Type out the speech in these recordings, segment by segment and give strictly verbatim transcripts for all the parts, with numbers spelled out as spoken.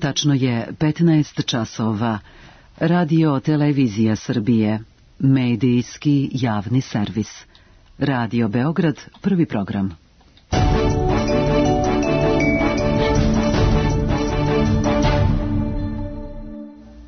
Tačno je petnaest časova. Radio Televizija Srbije. Medijski javni servis. Radio Beograd, prvi program.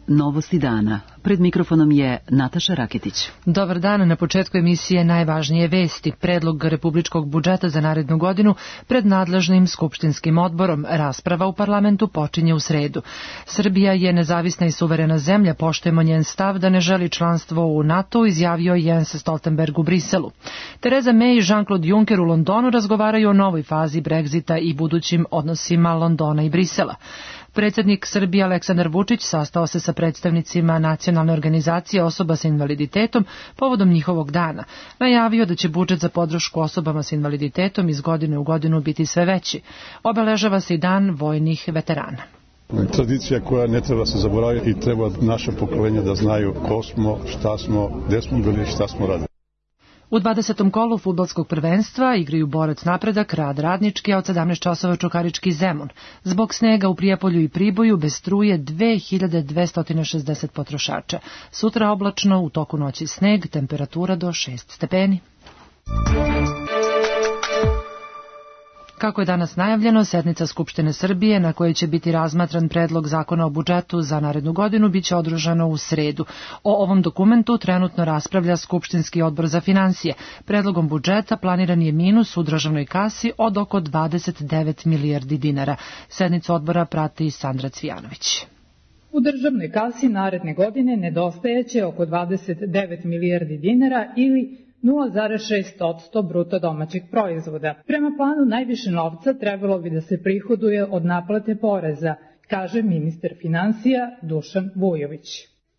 Novosti dana. Pred mikrofonom je Nataša Raketić. Dobar dan. Na početku emisije najvažnije vesti. Predlog republičkog budžeta za narednu godinu pred nadležnim skupštinskim odborom. Rasprava u parlamentu počinje u sredu. Srbija je nezavisna i suverena zemlja. Poštujemo njen stav da ne želi članstvo u NATO, izjavio Jens Stoltenberg u Briselu. Theresa May i Jean-Claude Juncker u Londonu razgovaraju o novoj fazi Brexita i budućim odnosima Londona i Brisela. Predsjednik Srbije Aleksandar Vučić sastao se sa predstavnicima Nacionalne organizacije osoba sa invaliditetom povodom njihovog dana. Najavio da će budžet za podršku osobama sa invaliditetom iz godine u godinu biti sve veći. Obeležava se i dan vojnih veterana. Tradicija koja ne treba se zaboraviti i treba naše pokolenje da znaju ko smo, šta smo, gde smo bili i šta smo radili. U dvadesetom kolu fudbalskog prvenstva igraju Borac Napredak, Rad Radnički, a od sedamnaest časova Čukarički Zemun. Zbog snega u Prijepolju i Priboju bez struje dve hiljade dvesta šezdeset potrošača. Sutra oblačno, u toku noći sneg, temperatura do šest stepeni. Kako je danas najavljeno, sednica Skupštine Srbije na kojoj će biti razmatran predlog zakona o budžetu za narednu godinu biće održano u sredu. O ovom dokumentu trenutno raspravlja Skupštinski odbor za finansije. Predlogom budžeta planiran je minus u državnoj kasi od oko dvadeset devet milijardi dinara. Sednicu odbora prati Sandra Cvijanović. U državnoj kasi naredne godine nedostajeće oko dvadeset devet milijardi dinara ili nula zarez šest posto bruto domaćeg proizvoda. Prema planu najviše novca trebalo bi da se prihoduje od naplate poreza, kaže ministar finansija Dušan Vujović.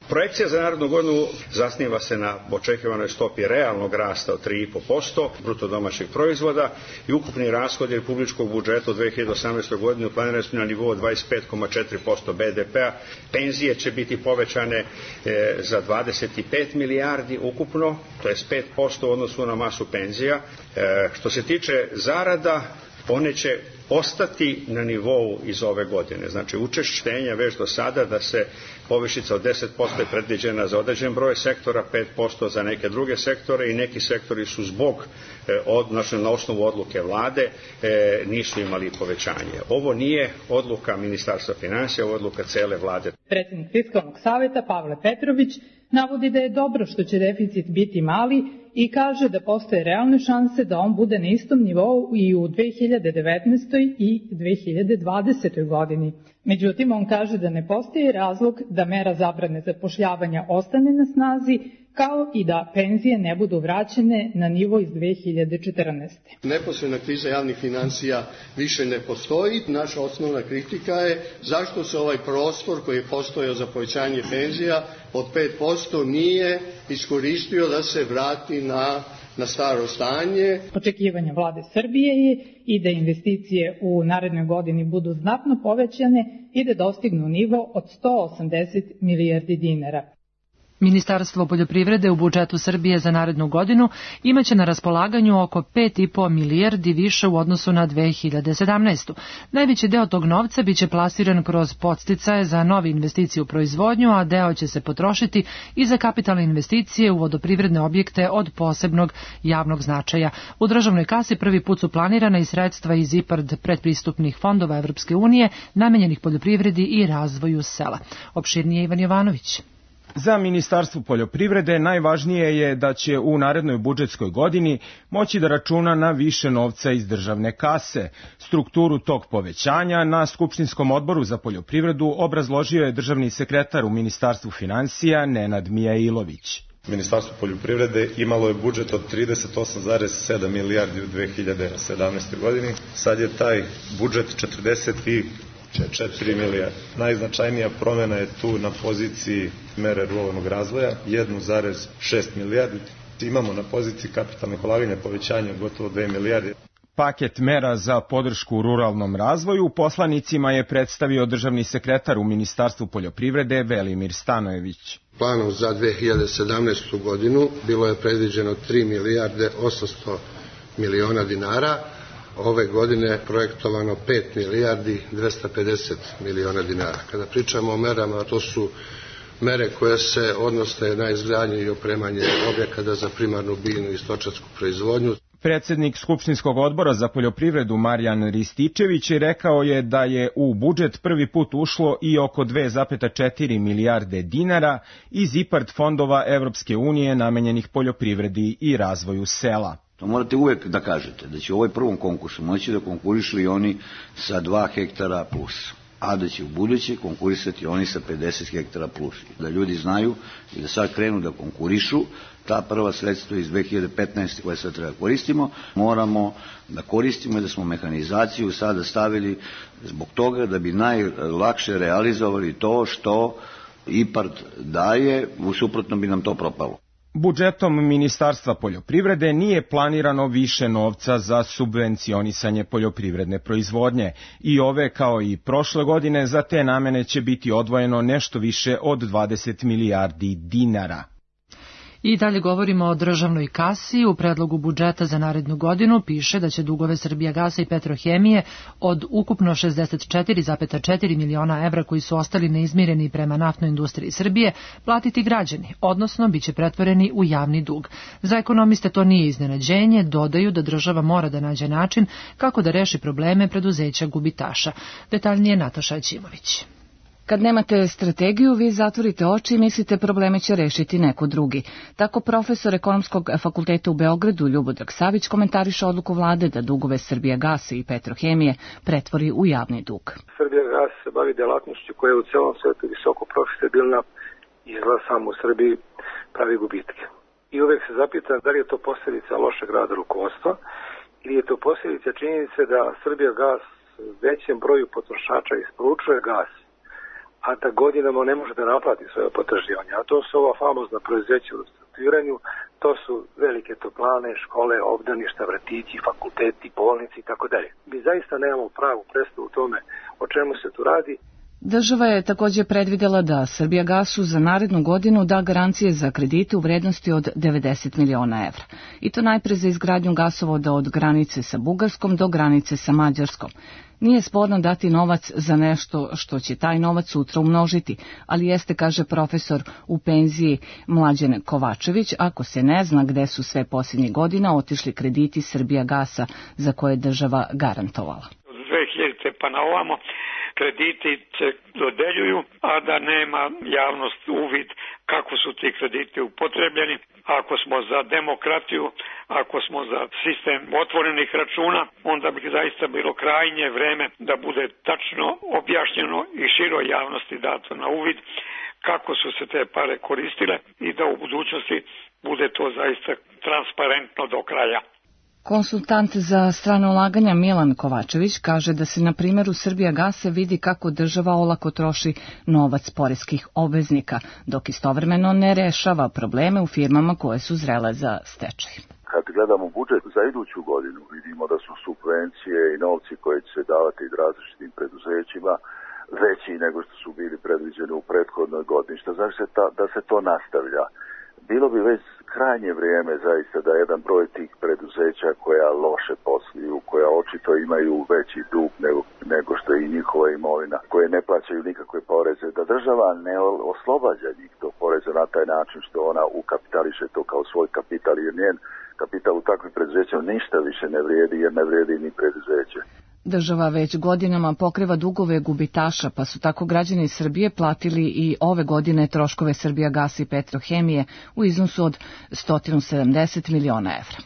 Projekcija za narednu godinu zasniva se na očekivanoj stopi realnog rasta od tri zarez pet posto bruto domaćeg proizvoda i ukupni rashodi republičkog budžeta u dve hiljade osamnaestoj godini planirani su na nivou dvadeset pet zarez četiri posto be de pea. Penzije će biti povećane e, za dvadeset pet milijardi ukupno, to je pet posto u odnosu na masu penzija. E, što se tiče zarada, one će ostati na nivou iz ove godine. Znači, učešćenja već do sada da se povišica od deset posto je predviđena za određen broj sektora, pet posto za neke druge sektore i neki sektori su zbog, odnosno na osnovu odluke vlade, nisu imali povećanje. Ovo nije odluka Ministarstva finansija, ovo je odluka cele vlade. Predsjednik Fiskalnog saveta Pavle Petrović navodi da je dobro što će deficit biti mali i kaže da postoje realne šanse da on bude na istom nivou i u dve hiljade devetnaestoj i dve hiljade dvadesetoj godini. Međutim, on kaže da ne postoji razlog da mera zabrane zapošljavanja ostane na snazi, kao i da penzije ne budu vraćene na nivo iz dve hiljade četrnaeste. Neposredna kriza javnih finansija više ne postoji. Naša osnovna kritika je zašto se ovaj prostor koji je postojao za povećanje penzija od pet posto nije iskoristio da se vrati na na staro stanje. Očekivanja vlade Srbije je i da investicije u narednoj godini budu znatno povećane i da dostignu nivo od sto osamdeset milijardi dinara. Ministarstvo poljoprivrede u budžetu Srbije za narednu godinu imaće na raspolaganju oko pet zarez pet milijardi više u odnosu na dve hiljade sedamnaestu. Najveći deo tog novca biće plasiran kroz podsticaje za nove investicije u proizvodnju, a deo će se potrošiti i za kapitalne investicije u vodoprivredne objekte od posebnog javnog značaja. U državnoj kasi prvi put su planirana i sredstva iz IPARD predpristupnih fondova Evropske unije namenjenih poljoprivredi i razvoju sela. Opširnije Ivan Jovanović. Za Ministarstvo poljoprivrede najvažnije je da će u narednoj budžetskoj godini moći da računa na više novca iz državne kase. Strukturu tog povećanja na Skupštinskom odboru za poljoprivredu obrazložio je državni sekretar u Ministarstvu finansija Nenad Mijailović. Ministarstvo poljoprivrede imalo je budžet od trideset osam zarez sedam milijardi u dve hiljade sedamnaestoj godini. Sad je taj budžet četrdeset četiri milijarde. Najznačajnija promjena je tu na poziciji mere ruralnog razvoja, jedan zarez šest milijardi. Imamo na poziciji kapitalnih ulaganja povećanje gotovo dve milijarde. Paket mera za podršku ruralnom razvoju poslanicima je predstavio državni sekretar u Ministarstvu poljoprivrede Velimir Stanojević. Planom za dve hiljade sedamnaestu godinu bilo je predviđeno tri milijarde osamsto miliona dinara, ove godine projektovano pet milijardi dvesta pedeset miliona dinara. Kada pričamo o merama, to su mere koje se odnose na izgradnju i opremanje objekata za primarnu biljnu i stočarsku proizvodnju. Predsednik Skupštinskog odbora za poljoprivredu Marijan Rističević rekao je da je u budžet prvi put ušlo i oko dve zarez četiri milijarde dinara iz IPARD fondova Evropske unije namenjenih poljoprivredi i razvoju sela. To morate uvek da kažete, da će u ovoj prvom konkursu moći da konkurišu i oni sa dva hektara plus, a da će u buduće konkurisati oni sa pedeset hektara plus. Da ljudi znaju i da sad krenu da konkurišu, ta prva sredstva iz dve hiljade petnaeste koje sad treba koristimo, moramo da koristimo i da smo mehanizaciju sada stavili zbog toga da bi najlakše realizovali to što IPARD daje, u suprotno bi nam to propalo. Budžetom Ministarstva poljoprivrede nije planirano više novca za subvencionisanje poljoprivredne proizvodnje i ove kao i prošle godine za te namene će biti odvojeno nešto više od dvadeset milijardi dinara. I dalje govorimo o državnoj kasi. U predlogu budžeta za narednu godinu piše da će dugove Srbijagasa i Petrohemije od ukupno šezdeset četiri zarez četiri miliona evra koji su ostali neizmireni prema naftnoj industriji Srbije platiti građani, odnosno biće pretvoreni u javni dug. Za ekonomiste to nije iznenađenje, dodaju da država mora da nađe način kako da reši probleme preduzeća gubitaša. Detaljnije Nataša Ćimović. Kad nemate strategiju, vi zatvorite oči i mislite probleme će rešiti neko drugi. Tako profesor Ekonomskog fakulteta u Beogradu Ljubodrag Savić komentariše odluku vlade da dugove Srbijagasa i Petrohemije pretvori u javni dug. Srbijagas se bavi delatnošću koja je u celom svetu visoko profitabilna, izgleda samo u Srbiji pravi gubitke. I uvek se zapitam da li je to posljedica lošeg rada rukovodstva ili je to posljedica činjenice da Srbijagas većem broju potrošača isporučuje gas, a da godinama ne može da naplati svoje potraživanja. A to su ova famozna preduzeća u restrukturiranju, to su velike toplane, škole, obdaništa, vrtići, fakulteti, bolnici i tako dalje. Mi zaista nemamo pravu predstavu u tome o čemu se tu radi. Država je također predvidela da Srbijagasu za narednu godinu da garancije za kredite u vrednosti od devedeset miliona evra. I to najpre za izgradnju gasovoda od granice sa Bugarskom do granice sa Mađarskom. Nije sporno dati novac za nešto što će taj novac sutra umnožiti, ali jeste, kaže profesor u penziji Mlađan Kovačević, ako se ne zna gde su sve posljednjih godina otišli krediti Srbijagasa za koje je država garantovala. Od dve hiljadite pa na ovamo krediti se dodeljuju, a da nema javnost uvid kako su ti krediti upotrebljeni. Ako smo za demokratiju, ako smo za sistem otvorenih računa, onda bi zaista bilo krajnje vreme da bude tačno objašnjeno i široj javnosti dato na uvid kako su se te pare koristile i da u budućnosti bude to zaista transparentno do kraja. Konsultant za strane ulaganja Milan Kovačević kaže da se na primjeru Srbijagasa vidi kako država olako troši novac poreskih obveznika, dok istovremeno ne rešava probleme u firmama koje su zrele za stečaj. Kad gledamo budžet za iduću godinu, vidimo da su subvencije i novci koji će se davati različitim preduzećima veći nego što su bili predviđeni u prethodnoj godini. Što znači da se to nastavlja. Bilo bi već krajnje vrijeme zaista da jedan broj tih preduzeća koja loše posluju, koja očito imaju veći dug nego, nego što je i njihova imovina, koje ne plaćaju nikakve poreze, da država ne oslobađa njih tog poreza na taj način što ona ukapitališe to kao svoj kapital, jer njen kapital u takvim preduzećima ništa više ne vrijedi, jer ne vrijedi ni preduzeće. Država već godinama pokriva dugove gubitaša, pa su tako građani Srbije platili i ove godine troškove Srbijagasa i Petrohemije u iznosu od sto sedamdeset miliona evra.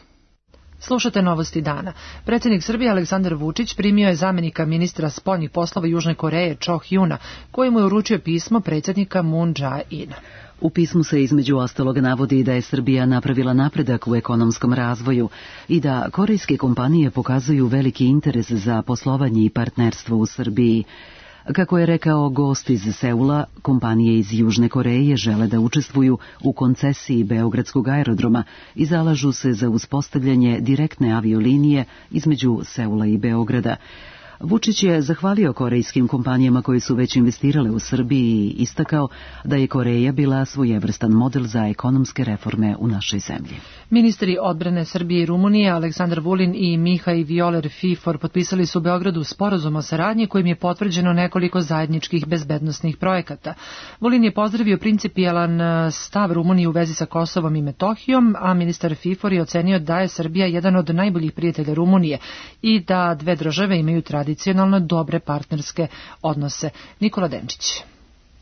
Slušate Novosti dana. Predsjednik Srbije Aleksandar Vučić primio je zamenika ministra spoljnih poslova Južne Koreje Cho Hyuna, koji mu je uručio pismo predsjednika Moon Jae-ina. U pismu se između ostalog navodi da je Srbija napravila napredak u ekonomskom razvoju i da korejske kompanije pokazuju veliki interes za poslovanje i partnerstvo u Srbiji. Kako je rekao gost iz Seula, kompanije iz Južne Koreje žele da učestvuju u koncesiji Beogradskog aerodroma i zalažu se za uspostavljanje direktne aviolinije između Seula i Beograda. Vučić je zahvalio korejskim kompanijama koje su već investirale u Srbiji i istakao da je Koreja bila svojevrstan model za ekonomske reforme u našoj zemlji. Ministri odbrane Srbije i Rumunije Aleksandar Vulin i Mihaj Violer Fifor potpisali su u Beogradu sporazum o saradnji kojim je potvrđeno nekoliko zajedničkih bezbednosnih projekata. Vulin je pozdravio principijelan stav Rumunije u vezi sa Kosovom i Metohijom, a ministar Fifor je ocenio da je Srbija jedan od najboljih prijatelja Rumunije i da dve države imaju tradicionalno dobre partnerske odnose. Nikola Denčić.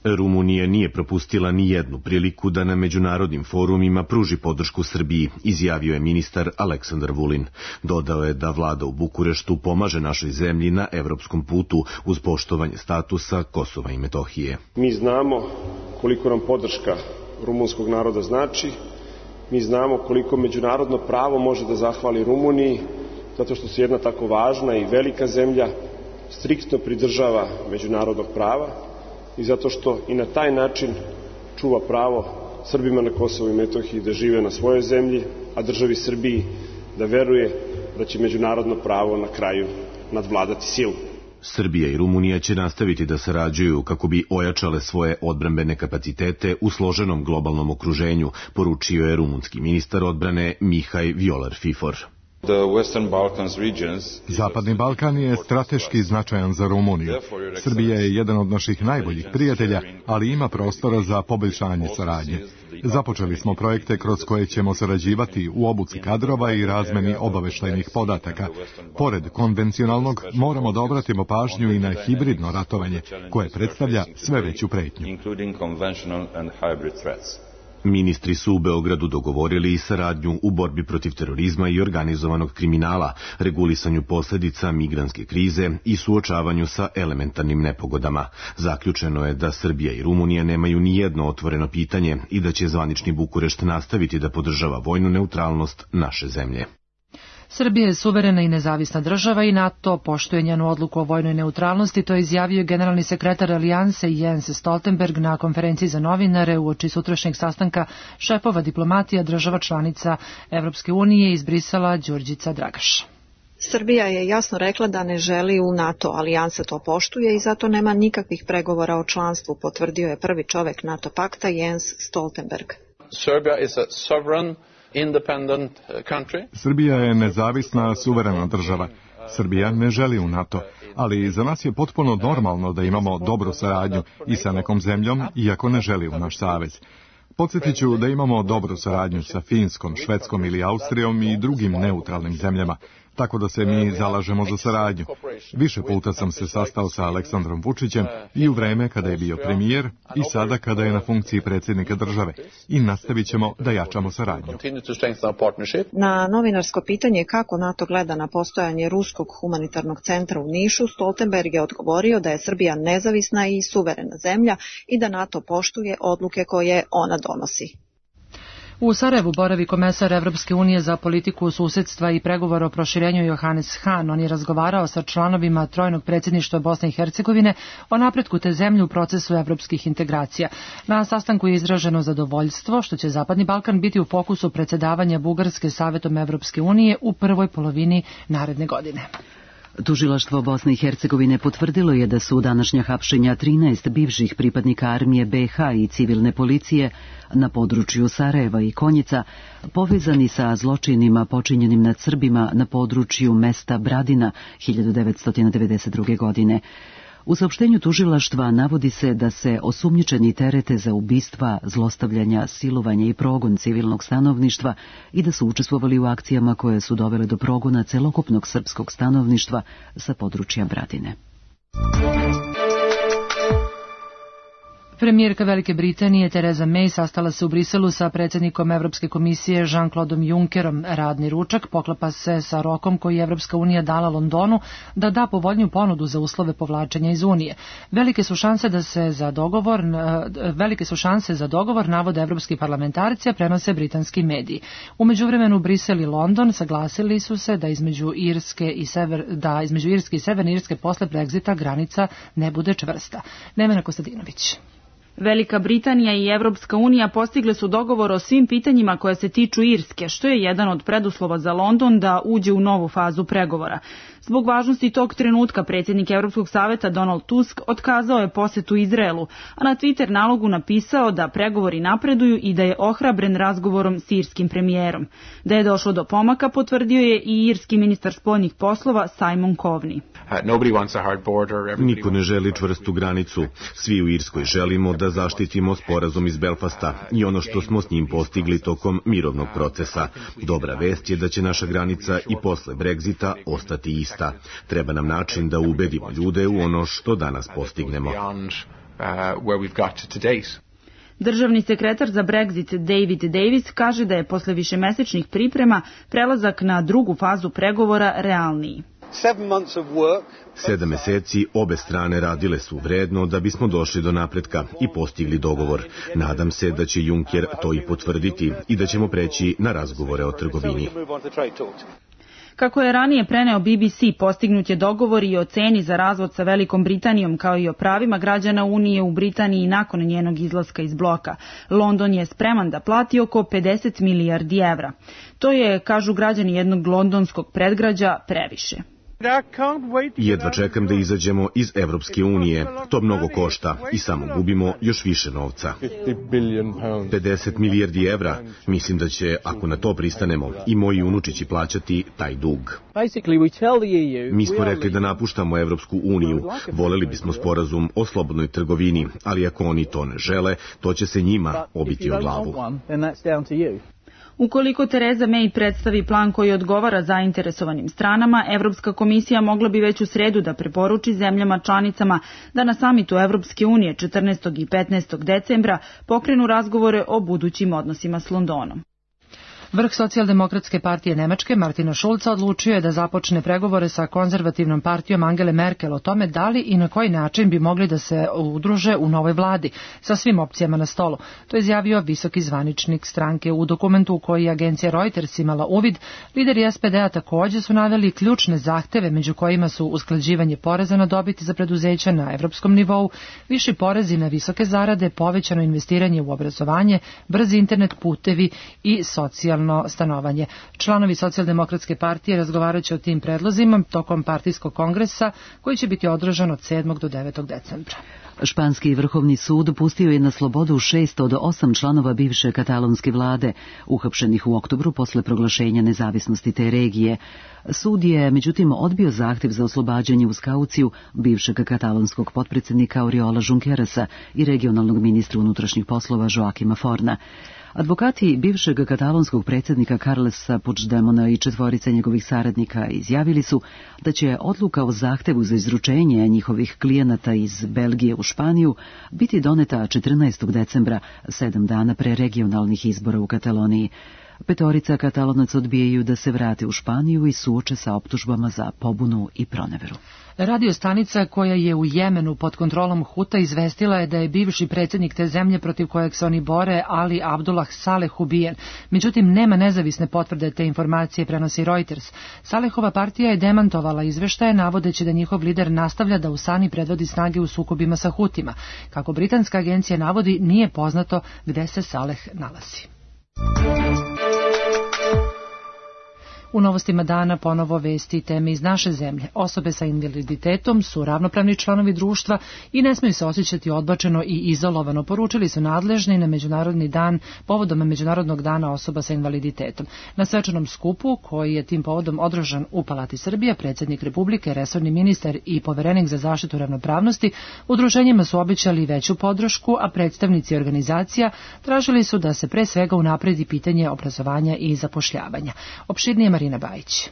Rumunija nije propustila ni jednu priliku da na međunarodnim forumima pruži podršku Srbiji, izjavio je ministar Aleksandar Vulin. Dodao je da vlada u Bukureštu pomaže našoj zemlji na evropskom putu uz poštovanje statusa Kosova i Metohije. Mi znamo koliko nam podrška rumunskog naroda znači, mi znamo koliko međunarodno pravo može da zahvali Rumuniji, zato što se jedna tako važna i velika zemlja striktno pridržava međunarodnog prava i zato što i na taj način čuva pravo Srbima na Kosovu i Metohiji da žive na svojoj zemlji, a državi Srbiji da veruje da će međunarodno pravo na kraju nadvladati silu. Srbija i Rumunija će nastaviti da sarađuju kako bi ojačale svoje odbrambene kapacitete u složenom globalnom okruženju, poručio je rumunski ministar odbrane Mihaj Violer Fifor. Zapadni Balkan je strateški značajan za Rumuniju. Srbija je jedan od naših najboljih prijatelja, ali ima prostora za poboljšanje saradnje. Započeli smo projekte kroz koje ćemo sarađivati u obuci kadrova i razmeni obaveštajnih podataka. Pored konvencionalnog, moramo da obratimo pažnju i na hibridno ratovanje, koje predstavlja sve veću pretnju. Ministri su u Beogradu dogovorili i saradnju u borbi protiv terorizma i organizovanog kriminala, regulisanju posljedica migrantske krize i suočavanju sa elementarnim nepogodama. Zaključeno je da Srbija i Rumunija nemaju ni jedno otvoreno pitanje i da će zvanični Bukurešt nastaviti da podržava vojnu neutralnost naše zemlje. Srbija je suverena i nezavisna država i NATO poštuje njenu odluku o vojnoj neutralnosti, to je izjavio generalni sekretar Alijanse Jens Stoltenberg na konferenciji za novinare uoči sutrašnjeg sastanka šefova diplomatija država članica Evropske unije iz Brisela Đurđica Dragaš. Srbija je jasno rekla da ne želi u NATO, Alijansa to poštuje i zato nema nikakvih pregovora o članstvu, potvrdio je prvi čovek NATO pakta Jens Stoltenberg. Serbia is a sovereign independent country. Srbija je nezavisna, suverena država. Srbija ne želi u NATO, ali za nas je potpuno normalno da imamo dobru saradnju i sa nekom zemljom, iako ne želi u naš savez. Podsjetit ću da imamo dobru saradnju sa Finskom, Švedskom ili Austrijom i drugim neutralnim zemljama, tako da se mi zalažemo za saradnju. Više puta sam se sastao sa Aleksandrom Vučićem i u vreme kada je bio premijer i sada kada je na funkciji predsjednika države i nastavit ćemo da jačamo saradnju. Na novinarsko pitanje kako NATO gleda na postojanje Ruskog humanitarnog centra u Nišu, Stoltenberg je odgovorio da je Srbija nezavisna i suverena zemlja i da NATO poštuje odluke koje ona donosi. U Sarajevu boravi komesar Evropske unije za politiku susedstva i pregovora o proširenju Johannes Hahn. On je razgovarao sa članovima trojnog predsjedništva Bosne i Hercegovine o napretku te zemlje u procesu evropskih integracija. Na sastanku je izraženo zadovoljstvo što će Zapadni Balkan biti u fokusu predsjedavanja Bugarske Savetom Evropske unije u prvoj polovini naredne godine. Tužilaštvo Bosne i Hercegovine potvrdilo je da su današnja hapšenja trinaest bivših pripadnika armije be ha i civilne policije na području Sarajeva i Konjica povezani sa zločinima počinjenim nad Srbima na području mesta Bradina hiljadu devetsto devedeset druge. godine. U saopštenju tužilaštva navodi se da se osumnjičeni terete za ubistva, zlostavljanja, silovanja i progon civilnog stanovništva i da su učestvovali u akcijama koje su dovele do progona celokupnog srpskog stanovništva sa područja Bradine. Premijerka Velike Britanije Tereza May sastala se u Briselu sa predsjednikom Evropske komisije Jean-Claude Junckerom. Radni ručak poklapa se sa rokom koji je Evropska unija dala Londonu da da povoljniju ponudu za uslove povlačenja iz Unije. Velike su šanse da se za dogovor, velike su šanse za dogovor navode evropski parlamentarci, a prenose britanski mediji. U međuvremenu Brisel i London saglasili su se da između Irske i sever, da između Irske i Severne Irske posle Brexita granica ne bude čvrsta. Nemena Kostadinović. Velika Britanija i Evropska unija postigle su dogovor o svim pitanjima koja se tiču Irske, što je jedan od preduslova za London da uđe u novu fazu pregovora. Zbog važnosti tog trenutka predsjednik Evropskog saveta Donald Tusk otkazao je posetu Izraelu, a na Twitter nalogu napisao da pregovori napreduju i da je ohrabren razgovorom s irskim premijerom. Da je došlo do pomaka potvrdio je i irski ministar spoljnih poslova Simon Coveney. Niko ne želi čvrstu granicu. Svi u Irskoj želimo da zaštitimo sporazum iz Belfasta i ono što smo s njim postigli tokom mirovnog procesa. Dobra vest je da će naša granica i posle Brexita ostati ista. Treba nam način da ubedimo ljude u ono što danas postignemo. Državni sekretar za Brexit David Davis kaže da je posle višemesečnih priprema prelazak na drugu fazu pregovora realniji. Sedam meseci obe strane radile su vredno da bismo došli do napretka i postigli dogovor. Nadam se da će Juncker to i potvrditi i da ćemo preći na razgovore o trgovini. Kako je ranije preneo B B C, postignut je dogovor i o ceni za razvod sa Velikom Britanijom, kao i o pravima građana Unije u Britaniji nakon njenog izlaska iz bloka. London je spreman da plati oko pedeset milijardi evra. To je, kažu građani jednog londonskog predgrađa, previše. Jedva čekam da izađemo iz Evropske unije. To mnogo košta i samo gubimo još više novca. pedeset milijardi evra. Mislim da će, ako na to pristanemo, i moji unučići plaćati taj dug. Mi smo rekli da napuštamo Evropsku uniju. Voleli bismo sporazum o slobodnoj trgovini, ali ako oni to ne žele, to će se njima obiti o glavu. Ukoliko Tereza May predstavi plan koji odgovara zainteresovanim stranama, Evropska komisija mogla bi već u sredu da preporuči zemljama članicama da na samitu Evropske unije četrnaestog i petnaestog decembra pokrenu razgovore o budućim odnosima s Londonom. Vrh Socijaldemokratske partije Nemačke Martina Schulza odlučio je da započne pregovore sa konzervativnom partijom Angele Merkel o tome da li i na koji način bi mogli da se udruže u novoj vladi sa svim opcijama na stolu. To je izjavio visoki zvaničnik stranke. U dokumentu u koji je agencija Reuters imala uvid, lideri S P D-a također su naveli ključne zahteve, među kojima su usklađivanje poreza na dobit za preduzeća na evropskom nivou, viši porezi na visoke zarade, povećano investiranje u obrazovanje, brzi internet, putevi i socijalno stanovanje. Članovi Socijaldemokratske partije razgovarat će o tim predlozima tokom partijskog kongresa koji će biti održan od sedmog do devetog decembra. Španski vrhovni sud pustio je na slobodu šest od osam članova bivše katalonske vlade, uhapšenih u oktobru posle proglašenja nezavisnosti te regije. Sud je, međutim, odbio zahtev za oslobađanje uz kauciju bivšeg katalonskog potpredsjednika Oriola Junquerasa i regionalnog ministra unutrašnjih poslova Joaquima Forna. Advokati bivšeg katalonskog predsjednika Carlesa Puigdemona i četvorice njegovih saradnika izjavili su da će odluka o zahtevu za izručenje njihovih klijenata iz Belgije u Španiju biti doneta četrnaestog decembra, sedam dana pre regionalnih izbora u Kataloniji. Petorica Katalonaca odbijaju da se vrate u Španiju i suoče sa optužbama za pobunu i proneveru. Radio stanica koja je u Jemenu pod kontrolom Huta izvestila je da je bivši predsjednik te zemlje protiv kojeg se oni bore, Ali Abdullah Saleh, ubijen. Međutim, nema nezavisne potvrde te informacije, prenosi Reuters. Salehova partija je demantovala izveštaje navodeći da njihov lider nastavlja da u Sani predvodi snage u sukobima sa Hutima. Kako britanska agencija navodi, nije poznato gde se Saleh nalazi. U novostima dana ponovo vesti i teme iz naše zemlje. Osobe sa invaliditetom su ravnopravni članovi društva i ne smiju se osjećati odbačeno i izolovano, poručili su nadležni na Međunarodni dan povodom Međunarodnog dana osoba sa invaliditetom. Na svečanom skupu, koji je tim povodom održan u Palati Srbije, predsjednik Republike, resorni ministar i poverenik za zaštitu ravnopravnosti udruženjima su obećali veću podršku, a predstavnici organizacija tražili su da se pre svega unapredi pitanje obrazovanja i zapošljavanja. Opširnije Marina Bajić.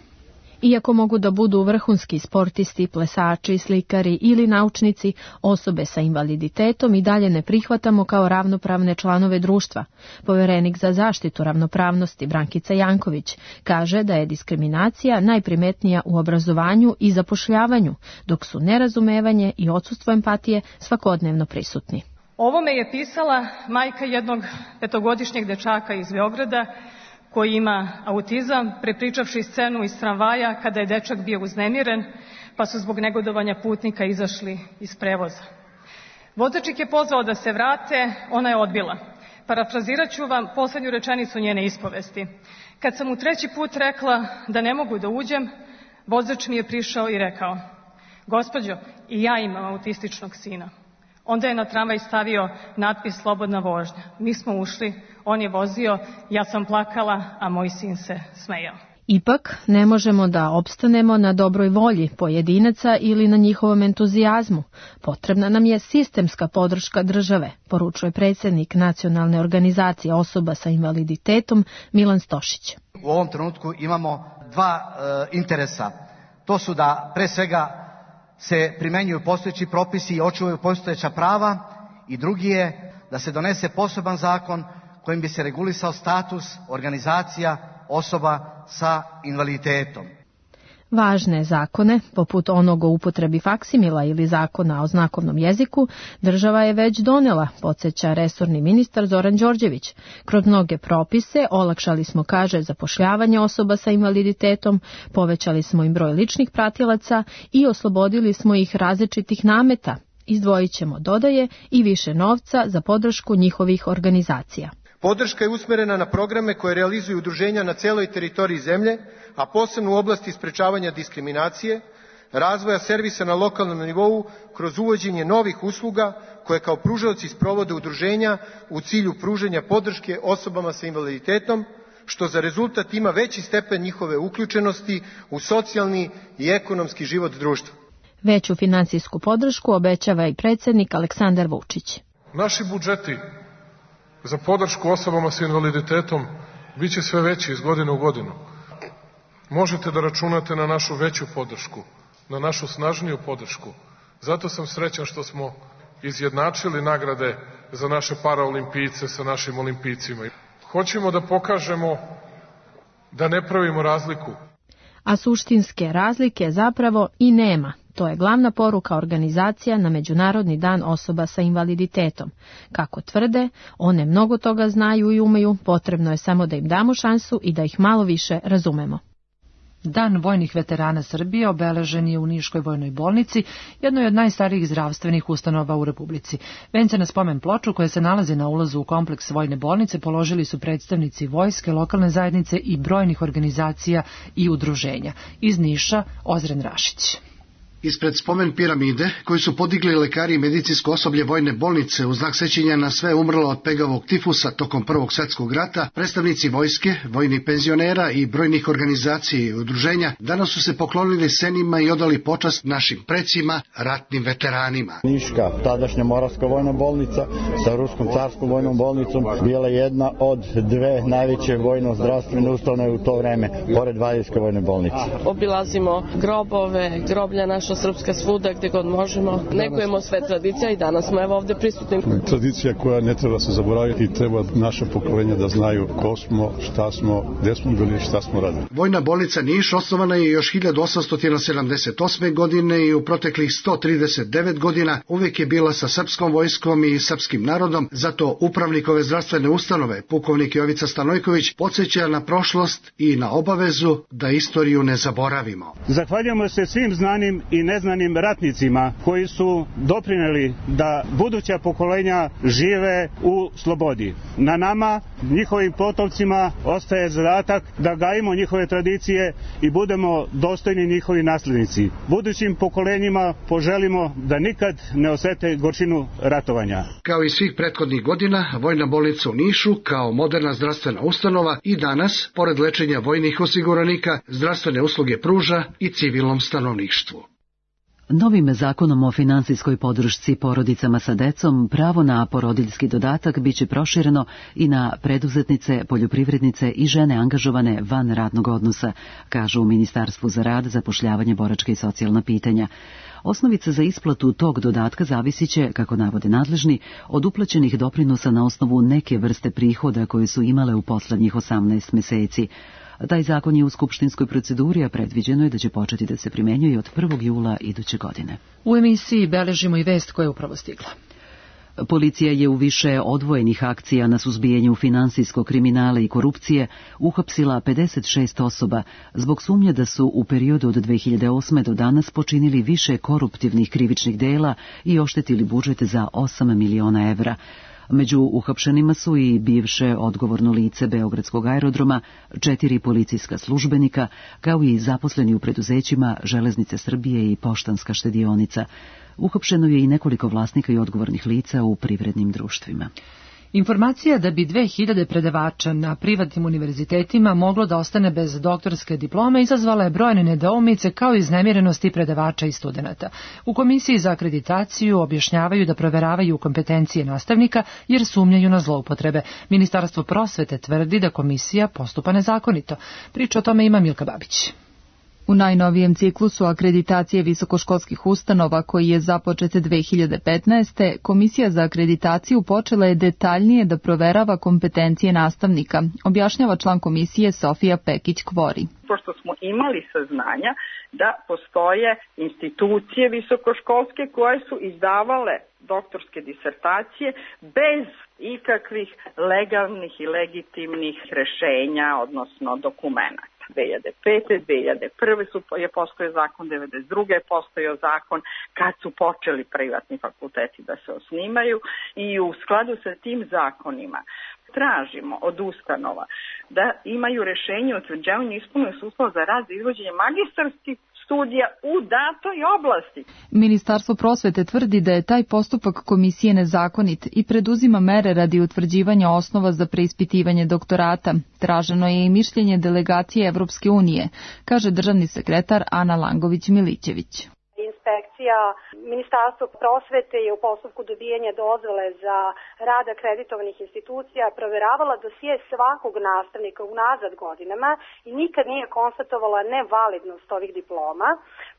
Iako mogu da budu vrhunski sportisti, plesači, slikari ili naučnici, osobe sa invaliditetom i dalje ne prihvatamo kao ravnopravne članove društva. Poverenik za zaštitu ravnopravnosti Brankica Janković kaže da je diskriminacija najprimetnija u obrazovanju i zapošljavanju, dok su nerazumevanje i odsustvo empatije svakodnevno prisutni. Ovome je pisala majka jednog petogodišnjeg dečaka iz Beograda koji ima autizam, prepričavši scenu iz tramvaja kada je dečak bio uznemiren, pa su zbog negodovanja putnika izašli iz prevoza. Vozač ih je pozvao da se vrate, ona je odbila. Parafrazirat ću vam poslednju rečenicu njene ispovesti. Kad sam mu treći put rekla da ne mogu da uđem, vozač mi je prišao i rekao: gospođo, i ja imam autističnog sina. Onda je na tramvaj stavio natpis slobodna vožnja. Mi smo ušli, on je vozio, ja sam plakala, a moj sin se smejao. Ipak, ne možemo da opstanemo na dobroj volji pojedinaca ili na njihovom entuzijazmu. Potrebna nam je sistemska podrška države, poručuje predsjednik Nacionalne organizacije osoba sa invaliditetom Milan Stošić. U ovom trenutku imamo dva e, interesa. To su da pre svega se primenjuju postojeći propisi i očuvaju postojeća prava, i drugi je da se donese poseban zakon kojim bi se regulisao status organizacija osoba sa invaliditetom. Važne zakone, poput onog o upotrebi faksimila ili zakona o znakovnom jeziku, država je već donela, podsjeća resorni ministar Zoran Đorđević. Kroz mnoge propise olakšali smo, kaže, zapošljavanje osoba sa invaliditetom, povećali smo im broj ličnih pratilaca i oslobodili smo ih različitih nameta. Izdvojit ćemo, dodaje, i više novca za podršku njihovih organizacija. Podrška je usmerena na programe koje realizuju udruženja na celoj teritoriji zemlje, a posebno u oblasti sprečavanja diskriminacije, razvoja servisa na lokalnom nivou kroz uvođenje novih usluga koje kao pružaoci sprovode udruženja u cilju pružanja podrške osobama sa invaliditetom, što za rezultat ima veći stepen njihove uključenosti u socijalni i ekonomski život društva. Veću finansijsku podršku obećava i predsjednik Aleksandar Vučić. Naši budžeti za podršku osobama sa invaliditetom bit će sve veći iz godine u godinu. Možete da računate na našu veću podršku, na našu snažniju podršku. Zato sam srećan što smo izjednačili nagrade za naše paraolimpijce sa našim olimpijcima. Hoćemo da pokažemo da ne pravimo razliku. A suštinske razlike zapravo i nema. To je glavna poruka organizacija na Međunarodni dan osoba sa invaliditetom. Kako tvrde, one mnogo toga znaju i umeju, potrebno je samo da im damo šansu i da ih malo više razumemo. Dan vojnih veterana Srbije obeležen je u Niškoj vojnoj bolnici, jednoj od najstarijih zdravstvenih ustanova u Republici. Vence na spomen ploču koja se nalazi na ulazu u kompleks vojne bolnice položili su predstavnici vojske, lokalne zajednice i brojnih organizacija i udruženja. Iz Niša, Ozren Rašić. Ispred spomen piramide, koju su podigli lekari i medicinsko osoblje vojne bolnice u znak sećanja na sve umrlo od pegavog tifusa tokom Prvog svjetskog rata, predstavnici vojske, vojnih penzionera i brojnih organizacija i udruženja danas su se poklonili senima i odali počast našim precima, ratnim veteranima. Niška, tadašnja Moravska vojna bolnica sa Ruskom carskom vojnom bolnicom, bila jedna od dve najveće vojno-zdravstvene ustanove u to vreme, pored Valjevske vojne bolnice. Obilazimo grobove, groblja naša srpska svuda gdje god možemo. Negujemo sve tradicija i danas smo evo ovdje prisutni. Tradicija koja ne treba se zaboraviti i treba naše pokolenja da znaju ko smo, šta smo, gde smo bili, šta smo radili. Vojna bolnica Niš osnovana je još hiljadu osamsto sedamdeset osme. godine i u proteklih sto trideset devet godina uvijek je bila sa srpskom vojskom i srpskim narodom, zato upravnik ove zdravstvene ustanove, pukovnik Jovica Stanojković, podsjeća na prošlost i na obavezu da istoriju ne zaboravimo. Zahvaljujemo se svim znanim i neznanim ratnicima koji su doprineli da buduća pokolenja žive u slobodi. Na nama, njihovim potomcima, ostaje zadatak da gajimo njihove tradicije i budemo dostojni njihovi naslednici. Budućim pokolenjima poželimo da nikad ne osete gorčinu ratovanja. Kao i svih prethodnih godina, Vojna bolnica u Nišu, kao moderna zdravstvena ustanova, i danas, pored lečenja vojnih osiguranika, zdravstvene usluge pruža i civilnom stanovništvu. Novim zakonom o finansijskoj podršci porodicama sa decom pravo na porodiljski dodatak biće prošireno i na preduzetnice, poljoprivrednice i žene angažovane van radnog odnosa, kažu u Ministarstvu za rad, zapošljavanje, boračka i socijalna pitanja. Osnovica za isplatu tog dodatka zavisit će, kako navode nadležni, od uplaćenih doprinosa na osnovu neke vrste prihoda koje su imale u poslednjih osamnaest meseci. Taj zakon je u skupštinskoj proceduri, a predviđeno je da će početi da se primenjuje od prvog jula iduće godine. U emisiji beležimo i vest koja je upravo stigla. Policija je u više odvojenih akcija na suzbijanju finansijskog kriminala i korupcije uhapsila pedeset šest osoba zbog sumnje da su u periodu od dve hiljade osme do danas počinili više koruptivnih krivičnih dela i oštetili budžet za osam miliona evra. Među uhapšenima su i bivše odgovorno lice Beogradskog aerodroma, četiri policijska službenika, kao i zaposleni u preduzećima Železnice Srbije i Poštanska štedionica. Uhapšeno je i nekoliko vlasnika i odgovornih lica u privrednim društvima. Informacija da bi dve hiljade predavača na privatnim univerzitetima moglo da ostane bez doktorske diplome izazvala je brojne nedoumice kao i iznemirenosti predavača i studenata. U Komisiji za akreditaciju objašnjavaju da proveravaju kompetencije nastavnika jer sumnjaju na zloupotrebe. Ministarstvo prosvete tvrdi da komisija postupa nezakonito. Priča o tome ima Milka Babić. U najnovijem ciklusu akreditacije visokoškolskih ustanova koji je započet dve hiljade petnaeste. Komisija za akreditaciju počela je detaljnije da proverava kompetencije nastavnika, objašnjava član komisije Sofija Pekić-Kvori. Pošto smo imali saznanja da postoje institucije visokoškolske koje su izdavale doktorske disertacije bez ikakvih legalnih i legitimnih rešenja, odnosno dokumenata. dve hiljade pete. dve hiljade prve. su, je postojao zakon, devedeset druge. je postojao zakon kad su počeli privatni fakulteti da se osnimaju i u skladu sa tim zakonima tražimo od ustanova da imaju rešenje o utvrđivanju ispunjenih uslova za rad za izvođenje magistarskih studija u datoj oblasti. Ministarstvo prosvete tvrdi da je taj postupak komisije nezakonit i preduzima mere radi utvrđivanja osnova za preispitivanje doktorata. Traženo je i mišljenje delegacije Evropske unije, kaže državni sekretar Ana Langović-Milićević. Inspekcija Ministarstva prosvete je u postupku dobijanja dozvole za rad akreditovanih institucija proveravala dosije svakog nastavnika unazad godinama i nikad nije konstatovala nevalidnost ovih diploma.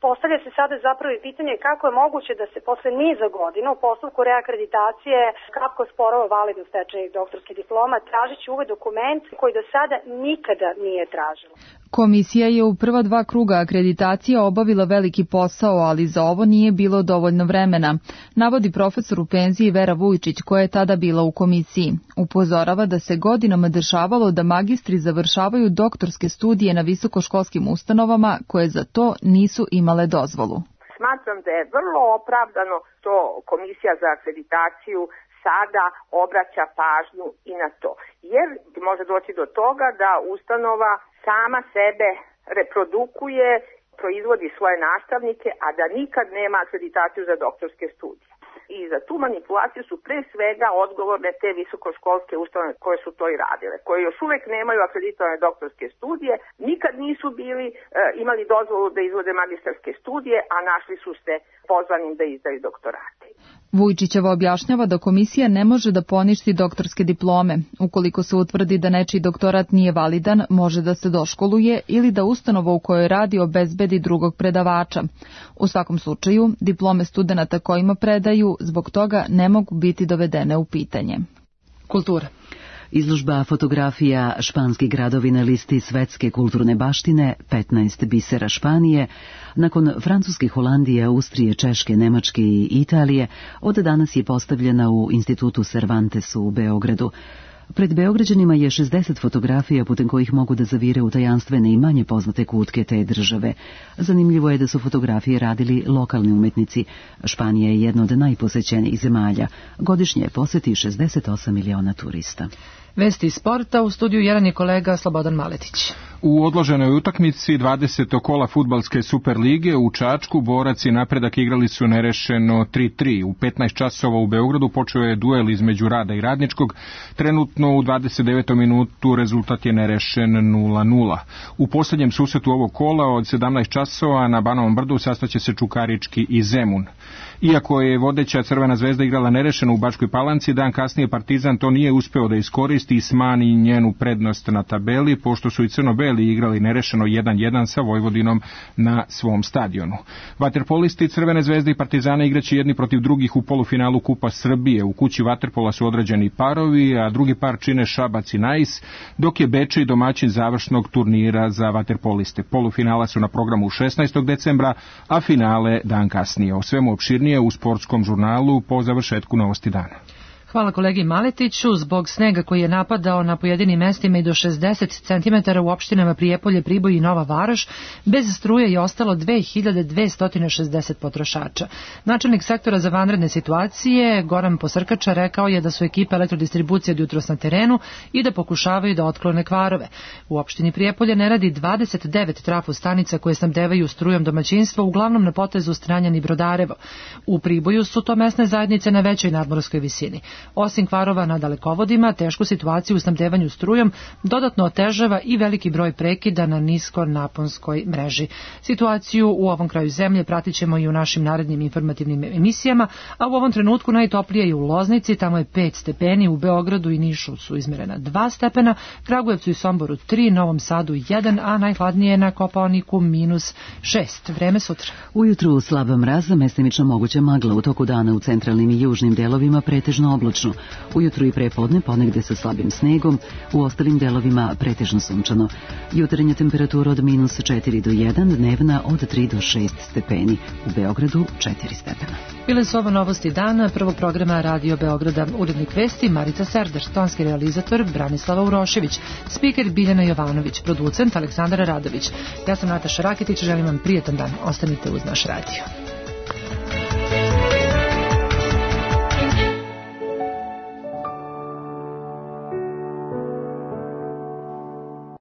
Postavlja se sada zapravo i pitanje kako je moguće da se posle niza godina u postupku reakreditacije kako sporova validnost stečenih doktorskih diploma tražići ovaj dokument koji do sada nikada nije tražila. Komisija je u prva dva kruga akreditacije obavila veliki posao, ali za ovo nije bilo dovoljno vremena, navodi profesor u penziji Vera Vujčić, koja je tada bila u komisiji. Upozorava da se godinama dešavalo da magistri završavaju doktorske studije na visokoškolskim ustanovama koje za to nisu imale dozvolu. Smatram da je vrlo opravdano što Komisija za akreditaciju sada obraća pažnju i na to. Jer može doći do toga da ustanova sama sebe reprodukuje, proizvodi svoje nastavnike, a da nikad nema akreditaciju za doktorske studije. I za tu manipulaciju su pre svega odgovorne te visokoškolske ustanove koje su to i radile, koje još uvek nemaju akreditovane doktorske studije, nikad nisu bili e, imali dozvolu da izvode magistarske studije, a našli su se pozvanim da izdaju doktorate. Vujčićeva objašnjava da komisija ne može da poništi doktorske diplome. Ukoliko se utvrdi da nečiji doktorat nije validan, može da se doškoluje ili da ustanova u kojoj radi obezbedi drugog predavača. U svakom slučaju, diplome studenata kojima predaju zbog toga ne mogu biti dovedene u pitanje. Kultura. Izložba fotografija Španski gradovi na listi svetske kulturne baštine, petnaest bisera Španije, nakon Francuske, Holandije, Austrije, Češke, Nemačke i Italije, od danas je postavljena u Institutu Cervantes u Beogradu. Pred Beograđanima je šezdeset fotografija putem kojih mogu da zavire u tajanstvene i manje poznate kutke te države. Zanimljivo je da su fotografije radili lokalni umetnici. Španija je jedna od najposećenijih zemalja. Godišnje poseti šezdeset osam miliona turista. Vesti sporta, u studiju jedan je kolega Slobodan Maletić. U odloženoj utakmici dvadesetog kola fudbalske Superlige u Čačku Borac i Napredak igrali su nerešeno tri tri. U petnaest časova u Beogradu počeo je duel između Rada i Radničkog. Trenutno u dvadeset devetom minutu rezultat je nerešen nula nula. U posljednjem susretu ovog kola od sedamnaest časova na Banovom brdu sastaće se Čukarički i Zemun. Iako je vodeća Crvena zvezda igrala nerešeno u Bačkoj Palanci, dan kasnije Partizan to nije uspeo da iskoristi i smani njenu prednost na tabeli, pošto su i crno-beli igrali nerešeno jedan jedan sa Vojvodinom na svom stadionu. Vaterpolisti Crvene zvezde i Partizana igraće jedni protiv drugih u polufinalu Kupa Srbije. U kući vaterpola su određeni parovi, a drugi par čine Šabac i Nais, dok je Bečej domaćin završnog turnira za vaterpoliste. Polufinala su na programu šesnaestog decembra, a finale dan kasnije. O svemu opširnije podrobnije u sportskom žurnalu po završetku Novosti dana. Hvala kolegi Maletiću. Zbog snega koji je napadao na pojedinim mestima i do šezdeset centimetara u opštinama Prijepolje, Priboj i Nova Varoš, bez struje je ostalo dve hiljade dvesta šezdeset potrošača. Načelnik sektora za vanredne situacije Goran Posrkača rekao je da su ekipe elektrodistribucije od jutros na terenu i da pokušavaju da otklone kvarove. U opštini Prijepolje ne radi dvadeset devet trafostanica koje snabdevaju strujom domaćinstva, uglavnom na potezu Stranjan i Brodarevo. U Priboju su to mesne zajednice na većoj nadmorskoj visini. Osim kvarova na dalekovodima, tešku situaciju u snabdevanju strujom dodatno otežava i veliki broj prekida na niskonaponskoj mreži. Situaciju u ovom kraju zemlje pratit ćemo i u našim narednim informativnim emisijama, a u ovom trenutku najtoplije je u Loznici, tamo je pet stepeni, u Beogradu i Nišu su izmerena dva stepena, Kragujevcu i Somboru tri, Novom Sadu jedan, a najhladnije je na Kopaoniku minus šest. Vreme sutra. Ujutru slaba mraza, mestimično moguća magla, u toku dana u centralnim i južnim delovima pretežno oblačno. Ujutru i prepodne ponegde sa slabim snegom, u ostalim delovima pretežno sunčano. Jutarnja temperatura od minus četiri do jedan, dnevna od tri do šest stepeni. U Beogradu četiri stepena. Bile su ovo novosti dana prvog programa Radio Beograda. Urednik vesti Marica Serdar, tonski realizator Branislava Urošević, spiker Biljana Jovanović, producent Aleksandar Radović. Ja sam Nataša Raketić, želim vam prijetan dan. Ostanite uz naš radio.